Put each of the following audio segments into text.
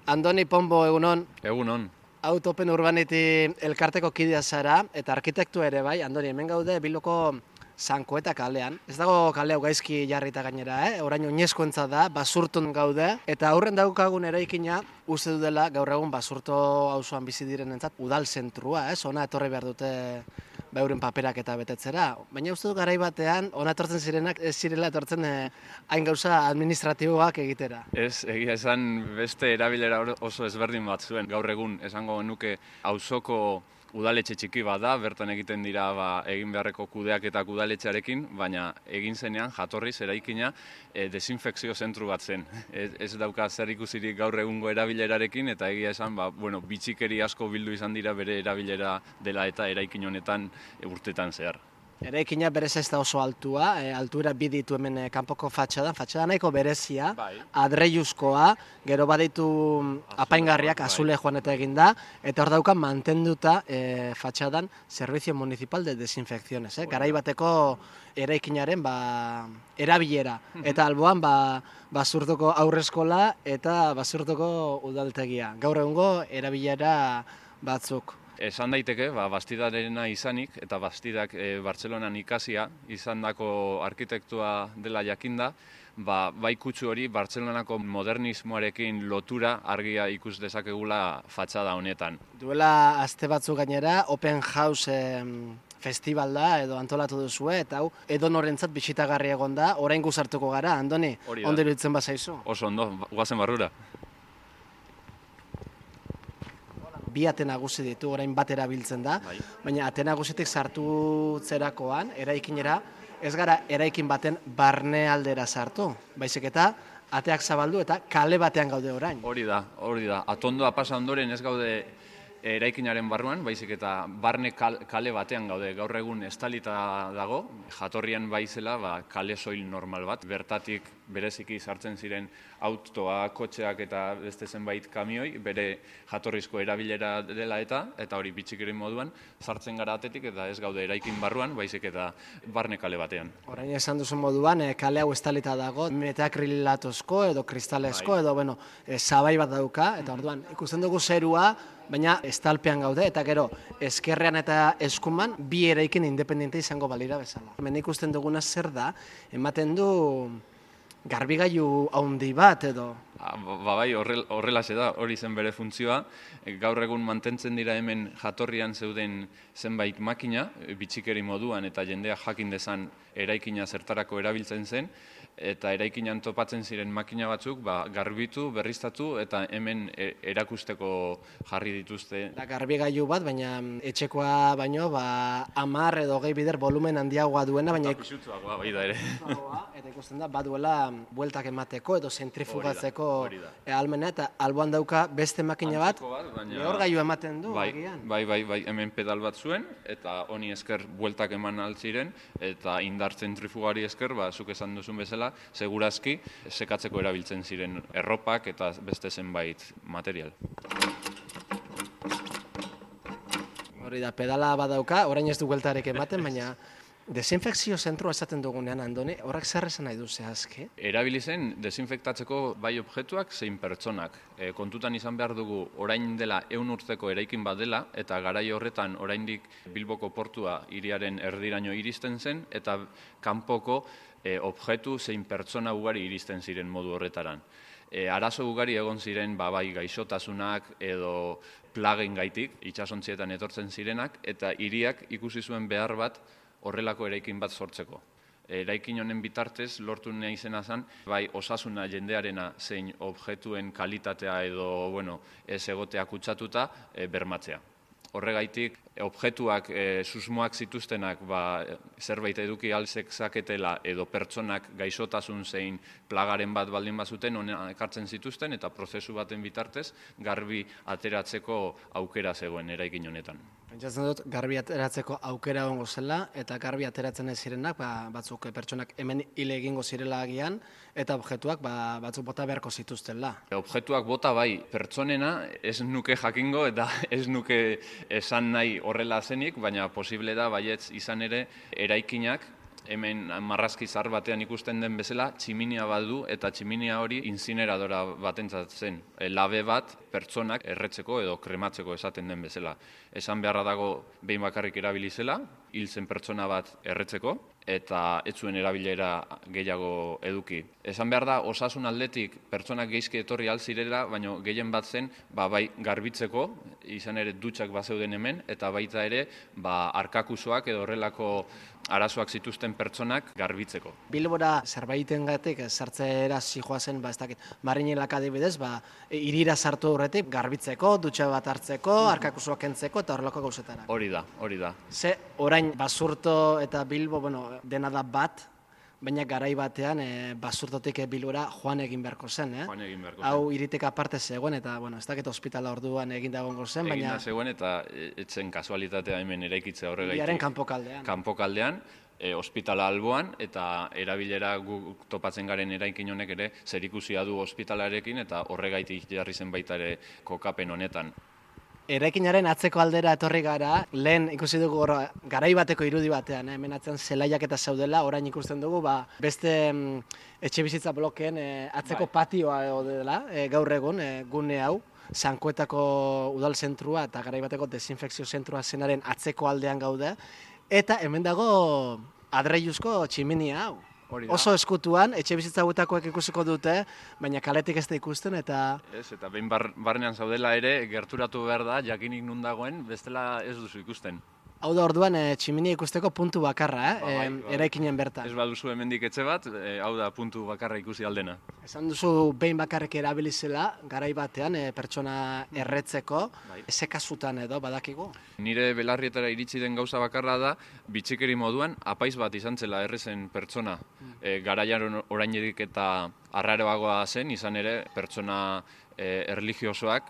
Andoni Pombo, egunon. Egunon. Autopen Urbanity elkarteko kidea zara, eta arkitektu ere bai. Andoni, hemen gaude Bilboko Sankoeta kalean. Ez dago kale hau gaizki jarrita gainera, orain oinezkoentzat da, Basurton gaude, eta aurren daukagun eraikina uste du dela gaur egun Basurto auzoan bizi direnentzat udal zentrua, Ona etorri behar dute euren paperak eta betetzera. Baina uste du garai batean, ona etortzen zirenak ez zirela etortzen hain gauza administratiboak egitera. Ez, egia esan beste erabilera oso ezberdin bat zuen. Gaur egun esango nuke auzoko udaletxe txiki bat da, bertan egiten dira egin beharreko kudeak eta udaletxearekin, baina egin zenean jatorriz eraikina desinfekzio zentru bat zen. Ez dauka zer ikusirik gaur egungo erabilerarekin, eta egia esan bitxikeri asko bildu izan dira bere erabilera dela eta eraikin honetan urtetan zehar. Eraikina berez ez da oso altua, altuera bi ditu hemen kanpoko fatxadan nahiko berezia, adreiuzkoa, gero baditu apaingarriak azule joan eta eginda, eta hor dauka mantenduta fatxadan Servicio Municipal de Desinfecciones, garai bateko eraikinaren erabilera, eta alboan Basurtoko aurreskola eta Basurtoko udaltegia. Gaur egungo erabilera batzuk. Esan daiteke, Bastidarena izanik, eta Bastidak Bartzelonan ikasia izandako arkitektua dela jakinda, bai kutsu hori Bartzelonako modernismoarekin lotura argia ikus dezakegula fatxada honetan. Duela aste batzuk gainera, Open House festival da edo antolatu duzue, eta hau edonorentzat bisitagarri egon da, orain guzartuko gara, Andoni, ondo iruditzen bazaizu? Oso ondo, guazen barrura. Bi ate nagusi ditu, orain bat erabiltzen da, baina ate nagusitik sartu zerakoan, eraikinera, ez gara eraikin baten barne aldera sartu, baizik eta ateak zabaldu eta kale batean gaude orain. Hori da. Atondoa pasa ondoren ez gaude eraikinaren barruan, baizik eta barne kale batean gaude. Gaur egun estalita dago, jatorrian baizela kale soil normal bat, bertatik bereziki sartzen ziren autoa, kotxeak eta beste zenbait kamioi, bere jatorrizko erabilera dela eta hori bitxikeri moduan, sartzen gara atetik eta ez gaude eraikin barruan, baizik eta barne kale batean. Orain esan duzun moduan, kale hau estalita dago, metakrilatozko edo kristalezko edo, zabai bat dauka, eta orduan ikusten dugu zerua, baina estalpean gaude, eta gero, ezkerrean eta eskuman, bi eraikin independente izango balira bezala. Hemen ikusten duguna zer da, ematen du garbigailu handi bat edo? Bai, horrelaxe da, hori zen bere funtzioa. Gaur egun mantentzen dira hemen jatorrian zeuden zenbait makina, bitxikeri moduan eta jendea jakin dezan eraikina zertarako erabiltzen zen, eta eraikinan topatzen ziren makina batzuk garbitu, berriztatu eta hemen erakusteko jarri dituzte. Garbigailu bat, baina etxekoa baino 10 edo 20 bider volumen handiagoa duena, baina pisutsuagoa bai da ere. Eta ikusten da baduela bueltak emateko edo zentrifugatzeko ahalmena, eta alboan dauka beste makina bat, lehorgailu ematen du. Bai, hemen pedal bat zuen, eta honi esker bueltak eman altziren, eta indar zentrifugari esker, zuk esan duzun bezala, segurazki sekatzeko erabiltzen ziren erropak eta beste zenbait material. Hori da, pedala badauka, orain ez du bueltarek ematen, baina desinfekzio zentroa esaten dugunean, Andoni, horrek zer esan nahi du zehazki? Erabili zen desinfektatzeko bai objektuak zein pertsonak. Kontutan izan behar dugu orain dela 100 urteko eraikin bat dela, eta garai horretan oraindik Bilboko portua hiriaren erdiraino iristen zen, eta kanpoko objektu zein pertsona ugari iristen ziren modu horretaran. Arazo ugari egon ziren bai gaixotasunak edo plagen gaitik, itsasontzietan etortzen zirenak, eta hiriak ikusi zuen behar bat horrelako eraikin bat sortzeko. Eraikin honen bitartez lortu nahi izena zen, bai osasuna jendearena zein objektuen kalitatea edo ez egotea kutsatuta bermatzea. Horregaitik, objektuak susmoak zituztenak zerbait eduki alzekzaketela edo pertsonak gaixotasun zein plagaren bat baldin bazuten hona ekartzen zituzten eta prozesu baten bitartez garbi ateratzeko aukera zegoen eraikin honetan. Pentsatzen dut, garbi ateratzeko aukera egongo zela, eta garbi ateratzen ez zirenak, batzuk pertsonak hemen hile egingo zirela agian, eta objektuak batzuk bota beharko zituztela. Objektuak bota bai, pertsonena ez nuke jakingo eta ez nuke esan nahi horrela zenik, baina posible da baietz izan ere eraikinak hemen marrazki zahar batean ikusten den bezala, tximinia badu eta tximinia hori inzineradora batentzat zen. Labe bat pertsonak erretzeko edo krematzeko esaten den bezala. Esan beharra dago behin bakarrik erabili zela, hil zen pertsona bat erretzeko, eta ez zuen erabilera gehiago eduki. Esan behar da, osasun aldetik pertsonak geizki etorri alzirela, baina gehien bat zen, bai garbitzeko, izan ere dutxak bazeuden hemen, eta baita ere, arkakusoak edo horrelako arazoak zituzten pertsonak garbitzeko. Bilbora zerbaitengatik sartzera zijoazen, ez dakit, Marinelak adibidez, hirira sartu horretik garbitzeko, dutxa bat hartzeko, arkakusoak kentzeko eta horrelako gauzetara. Hori da. Ze orain Basurto eta Bilbo, dena da bat, baina garai batean Basurtotik Bilbora joan egin beharko zen, Joan egin beharko zen. Hau hiritik aparte zegoen eta, ez dakit ospitala orduan egin dagoengo zen, baina... Egin zegoen eta etzen kasualitatea hemen eraikitzea horregaitik. Biaren kanpokaldean. Kanpokaldean, ospitala alboan eta erabilera guk topatzen garen eraikin honek ere zerikusia du ospitalarekin eta horregaitik jarri zen baita ere kokapen honetan. Eraikinaren atzeko aldera etorri gara, lehen ikusi dugu garai bateko irudi batean, hemen atzean zelaiak eta zaudela, orain ikusten dugu, beste etxe bizitza blokeen atzeko patioa dela, gaur egun, gune hau, Sankuetako udal zentrua eta garai bateko desinfekzio zentrua zenaren atzeko aldean gaude, eta hemen dago adreiluzko tximinia hau. Oso eskutuan, etxe bizitza hauetakoek ikusiko dute, baina kaletik ez da ikusten eta... Eta behin barnean zaudela ere, gerturatu behar da, jakinik nun dagoen, bestela ez duzu ikusten. Hau da orduan tximinia ikusteko puntu bakarra, eraikinen bertan. Ez baduzu hemendik etxe bat, hau da puntu bakarra ikusi aldena. Esan duzu behin bakarrik erabilizela, garai batean pertsona erretzeko, ezekasutan edo badakigu? Nire belarrietara iritsi den gauza bakarra da, bitxikeri moduan, apaiz bat izan zela errezen pertsona. Garaian oraindik eta arraroagoa zen, izan ere pertsona erlijiosoak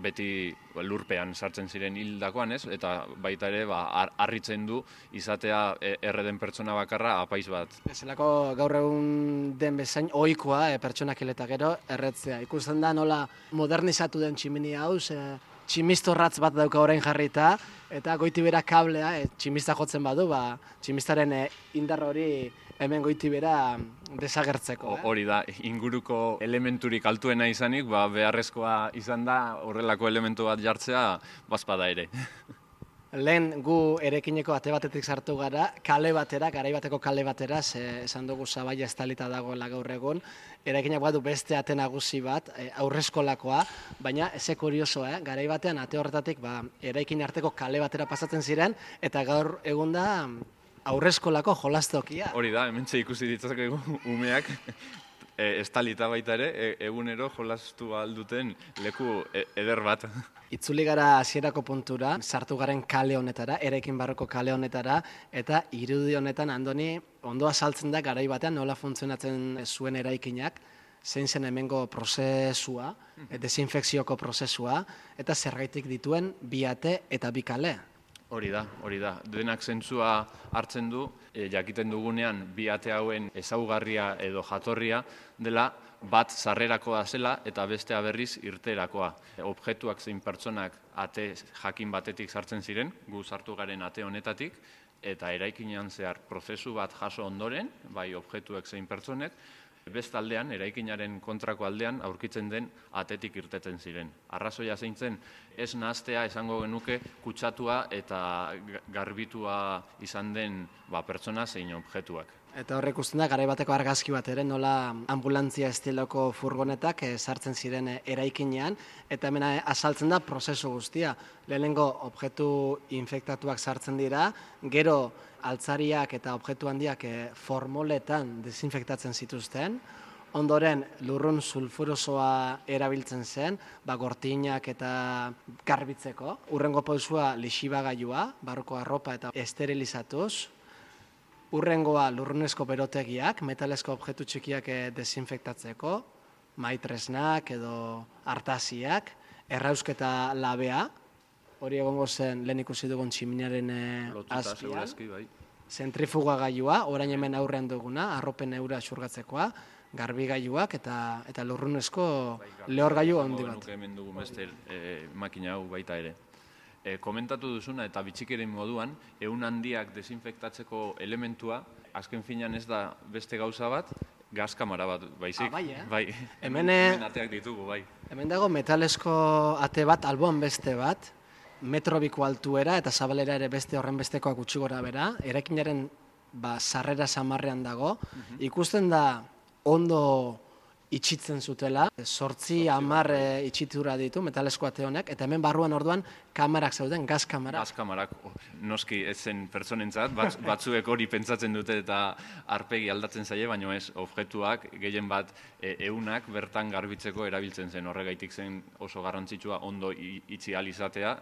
beti lurpean sartzen ziren hildakoan, eta baita ere harritzen du izatea erreden pertsona bakarra apaiz bat. Ezelako gaur egun den bezain ohikoa pertsonak hil eta gero erretzea. Ikusten da nola modernizatu den tximinia hau, tximistorratz bat dauka orain jarrita, eta goitibera kablea, tximista jotzen badu, tximistaren indar hori hemen goitibera desagertzeko. Hori da, inguruko elementurik altuena izanik, beharrezkoa izan da horrelako elementu bat jartzea, bazpada ere. Lehen gu erekineko ate batetik sartu gara, kale batera, garai bateko kale batera, esan dugu Zabaia estalita dagoela gaur egun, eraikinak badu beste ate nagusi bat, aurreskolakoa, baina eze kuriosoa, garai batean ate horretatik eraikin arteko kale batera pasatzen ziren, eta gaur egun da aurreskolako jolastokia. Hori da, hementxe ikusi ditzakegu umeak, estalita baita ere, egunero jolastu alduten leku eder bat. Itzuli gara hasierako puntura, sartu garen kale honetara, eraikin barroko kale honetara, eta irudi honetan Andoni ondo azaltzen da garai batean nola funtzionatzen zuen eraikinak, zein zen hemengo prozesua, desinfekzioko prozesua, eta zergaitik dituen bi ate eta bi kale. Hori da. Denak zentzua hartzen du, jakiten dugunean bi ate hauen ezaugarria edo jatorria dela bat sarrerakoa zela eta bestea berriz irterakoa. Objektuak zein pertsonak ate jakin batetik sartzen ziren, gu sartu garen ate honetatik, eta eraikinean zehar prozesu bat jaso ondoren, bai objektuek zein pertsonek, bestaldean, eraikinaren kontrako aldean aurkitzen den atetik irteten ziren. Arrazoia zein zen, ez nahaztea esango genuke kutsatua eta garbitua izan den pertsona zein objektuak. Eta horrek ikusten da, garai bateko argazki bat ere, nola ambulantzia estiloko furgonetak sartzen ziren eraikinean, eta hemen azaltzen da prozesu guztia. Lehenengo objektu infektatuak sartzen dira, gero altzariak eta objektu handiak formoletan desinfektatzen zituzten, ondoren lurrun sulfurosoa erabiltzen zen, gortinak eta garbitzeko. Hurrengo pausua lixibagailua, barruko arropa eta esterilizatuz. Hurrengoa lurrunezko berotegiak, metalezko objektu txikiak desinfektatzeko, maitresnak edo artaziak, errausketa labea, hori egongo zen lehen ikusi dugun tximiniaren azpian, zentrifugagailua, orain hemen aurrean duguna, arropen eura xurgatzekoa, garbigailuak eta lurrunezko lehorgailu handi bat. Hemen dugu beste makina hau baita ere. Komentatu duzuna eta bitxikeren moduan, ehun handiak desinfektatzeko elementua azken finean ez da beste gauza bat, gazkamara bat, baizik. Bai, hemen ateak ditugu, bai. Hemen dago metalesko ate bat, alboan beste bat, metrobiko altuera eta zabalera ere beste horren bestekoak gutxi gora bera, eraikinaren sarrera samarrean dago, ikusten da ondo itxitzen zutela, 8-10 itxitura ditu metalesko ate honek, eta hemen barruan orduan kamarak zeuden, gaz kamarak. Gaz kamarak, noski ez zen pertsonentzat, batzuek hori pentsatzen dute eta arpegi aldatzen zaie, baina ez objektuak gehien bat eunak bertan garbitzeko erabiltzen zen, horregaitik zen oso garrantzitsua ondo itxi alizatea,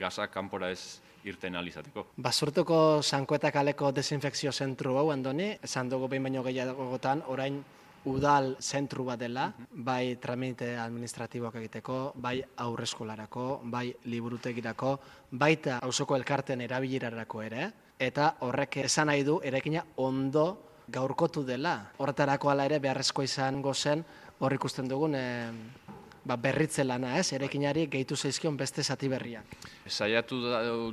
gazak kanpora ez irten alizateko. Basurtuko Sankoeta kaleko desinfekzio zentru hau, Andoni, esan dugu behin baino gehiagotan, orain udal zentru bat dela, bai tramite administratiboak egiteko, bai aurreskolarako, bai liburutegirako, baita auzoko elkarten erabilirarako ere, eta horrek esan nahi du eraikina ondo gaurkotu dela. Horretarako hala ere beharrezko izango zen hor ikusten dugun berritze lana, eraikinari gehitu zaizkion beste zati berriak. Saiatu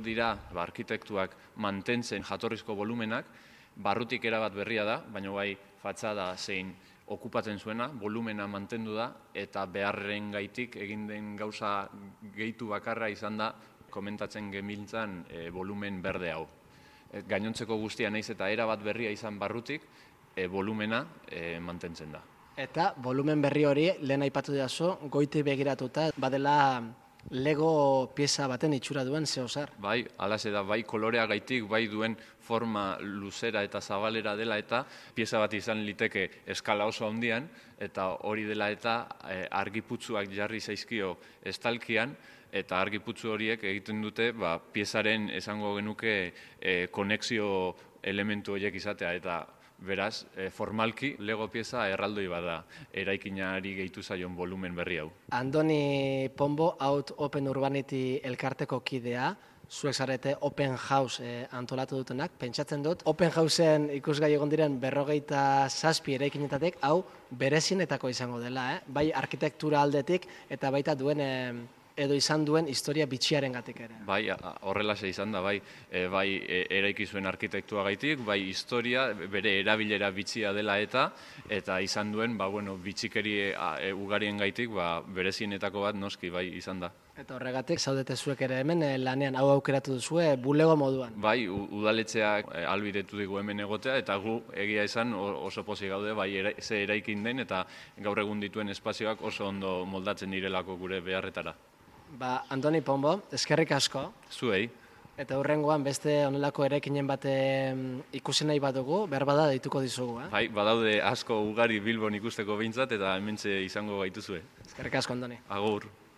dira arkitektuak mantentzen jatorrizko volumenak, barrutik erabat berria da, baina bai fatxada zein okupatzen zuena, volumena mantendu da, eta beharren gaitik egin den gauza gehitu bakarra izan da, komentatzen gemiltzan volumen berde hau. Gainontzeko guztia naiz eta erabat berria izan barrutik, volumena mantentzen da. Eta volumen berri hori, lehen aipatu dazu, goiti begiratuta, badela Lego pieza baten itxura duen zehozar. Bai, alaxe da, bai kolorea gaitik, bai duen forma luzera eta zabalera dela eta pieza bat izan liteke eskala oso handian, eta hori dela eta argiputzuak jarri zaizkio estalkian, eta argiputzu horiek egiten dute piezaren esango genuke konexio elementu horiek izatea, eta beraz, formalki, Lego pieza erraldoi bada eraikinari gehitu zaion volumen berri hau. Andoni Pombo, Out Open Urbanity elkarteko kidea, zuek zarete Open House antolatu dutenak, pentsatzen dut, Open Houseen ikusgai egon diren 57 eraikinetatik, hau berezinetako izango dela, bai arkitektura aldetik eta baita duen edo izan duen historia bitxiaren gatik ere. Bai, horrelaxe izan da, bai eraiki zuen arkitektua gaitik, bai historia, bere erabilera bitxia dela eta izan duen, bitxikeri ugarien gaitik, berezienetako bat noski, bai izan da. Eta horregatik, zaudete zuek ere hemen lanean hau aukeratu duzue bulego moduan. Bai, udaletxeak albidetu digu hemen egotea, eta gu egia esan oso pozik gaude, bai ze eraikin den, eta gaur egun dituen espazioak oso ondo moldatzen direlako gure beharretara. Andoni Pombo, eskerrik asko. Zuei. Eta hurrengoan beste honelako eraikinen bat ikusi nahi badugu, behar bada deituko dizugu. Bai, badaude asko ugari Bilbon ikusteko behintzat, eta hementxe izango gaituzue. Eskerrik asko, Andoni. Agur.